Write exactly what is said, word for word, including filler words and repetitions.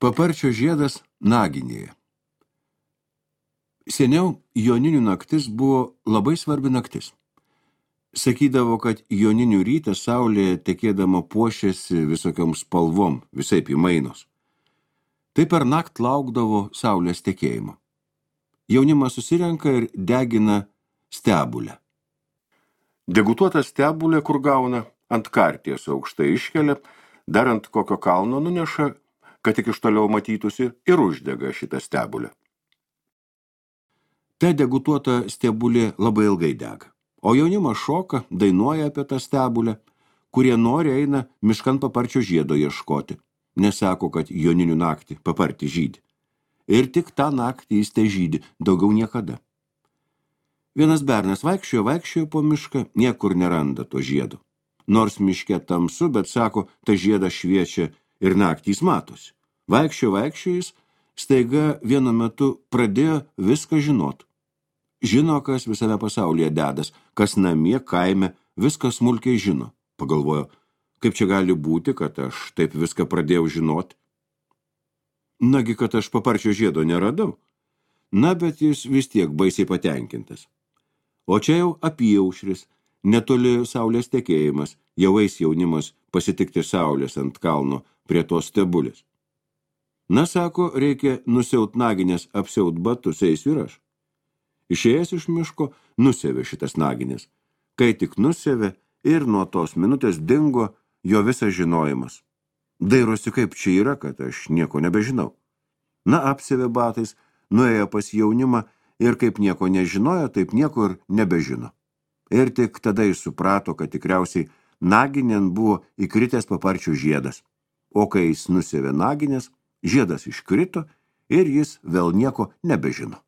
Paparčio žiedas Naginėje. Seniau joninių naktis buvo labai svarbi naktis. Sakydavo, kad joninių rytą saulė tekėdama puošėsi visokiom spalvom, visaip įmainos. Tai per nakt laukdavo saulės tekėjimo. Jaunimas susirenka ir degina stebulę. Degutuotą stebulę, kur gauna, ant karties aukštai iškelia, dar ant kokio kalno nuneša, kad tik iš toliau matytųsi, ir uždega šitą stebulę. Ta degutuota stebulė labai ilgai dega, o jaunimas šoka, dainuoja apie tą stebulę, kurie nori eina miškan paparčio žiedo ieškoti, nesako, kad joninių naktį papartį žydi. Ir tik tą naktį jis te žydi, daugiau niekada. Vienas bernas vaikščiojo, vaikščiojo po mišką, niekur neranda to žiedo. Nors miške tamsu, bet sako, ta žiedas šviečia ir naktys matosi. Vaikščio, vaikščio jis, staiga vienu metu pradėjo viską žinot. Žino, kas visame pasaulyje dedas, kas namie, kaime, viską smulkiai žino. Pagalvojo, kaip čia gali būti, kad aš taip viską pradėjau žinoti. Nagi, kad aš paparčio žiedo neradau. Na, bet jis vis tiek baisiai patenkintas. O čia jau apyaušris, netoli saulės tekėjimas, jau eis jaunimas pasitikti saulės ant kalno prie tos stebulės. Na, sako, reikia nusiaut naginės, apsiaut batus, eisiu ir aš. Išėjęs iš miško, nusėvė šitas naginės. Kai tik nusėvė ir nuo tos minutės dingo jo visas žinojimas. Dairosi, kaip čia yra, kad aš nieko nebežinau. Na, apsėvė batais, nuėjo pas jaunimą ir kaip nieko nežinojo, taip nieko ir nebežino. Ir tik tada jis suprato, kad tikriausiai naginėn buvo įkritęs paparčio žiedas. O kai jis nusėvė naginės, žiedas iškrito ir jis vėl nieko nebežino.